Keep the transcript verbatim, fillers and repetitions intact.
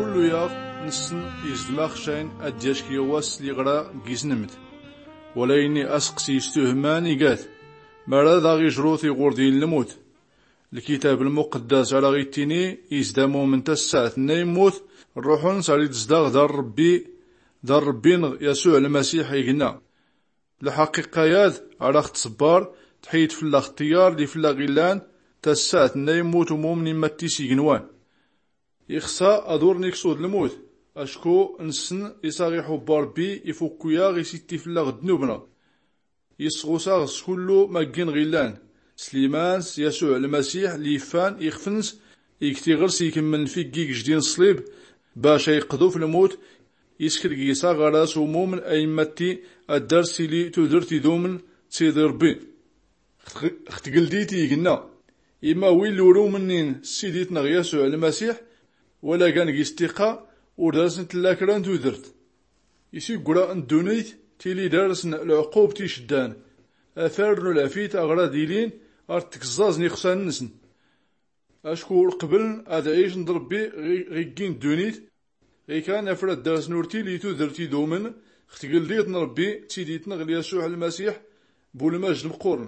Kullu yaḍ nssen izdem axcayn ad-d-yack yawas s-liɣra n-yisnmd. Walaynni aseqsi istuhman igat mara daɣ ijrut iɣurdi n-lmut. Lkitab lmuqeddas ar aɣ-ittini izda mumin tassaɛt-nna immut, rruḥ-ns ar-idzdaɣ d-ar-rbbi, d-ar-rbbi-nɣ yasuɛ lmasiḥ ignna. Lḥaqiqqa-yad ar aɣ-tṣebbar, tḥiyd fllaɣ ṭṭiyyar li fllaɣ illan, tassaɛt-nna immut umumin imatti s-ignwan. Ixṣa ad-ur-nikṣud lmut, acku nssen is-aɣ-iḥubb rbbi, ifukku-yaɣ isitti fllaɣ ddnub-nɣ. Isɣus-aɣ s-kullu ma ggi-nɣ illan, s-liman s-yasuɛ lmasiḥ li iffan ixf-ns, ig tiɣrs ikmmln figgi g-jdin ṣṣlib, bac a-iqḍu f-lmut. Iskrgis-aɣ ɣar-as umumin a-immatti ad-dar-s-tili tudrt idumin d-tidi rbbi. Ɣ-tgldit ignna, imma win ur-umnin s-sidit-nɣ yasuɛ lmasiḥ, wala gan g-istiqqa, ur dar-sn-tlla kra n-tudrt. Isiggra n-ddunit tili dar-sn lɛqqubt icddan, afar n-ulɛfit aɣ-rad-ilin ar-tgẓẓaẓn ixṣan-nsn. Acku ur-qbln ad-ɛicn d-rbbi ɣ-iggi n-ddunit. Ɣikan afrad dar-sn ur-tili tudrt idumin ɣ-tgldit n-rbbi d-tidit-nɣ l-yasuɛ lmasiḥ, bu-lmajd mqqurn.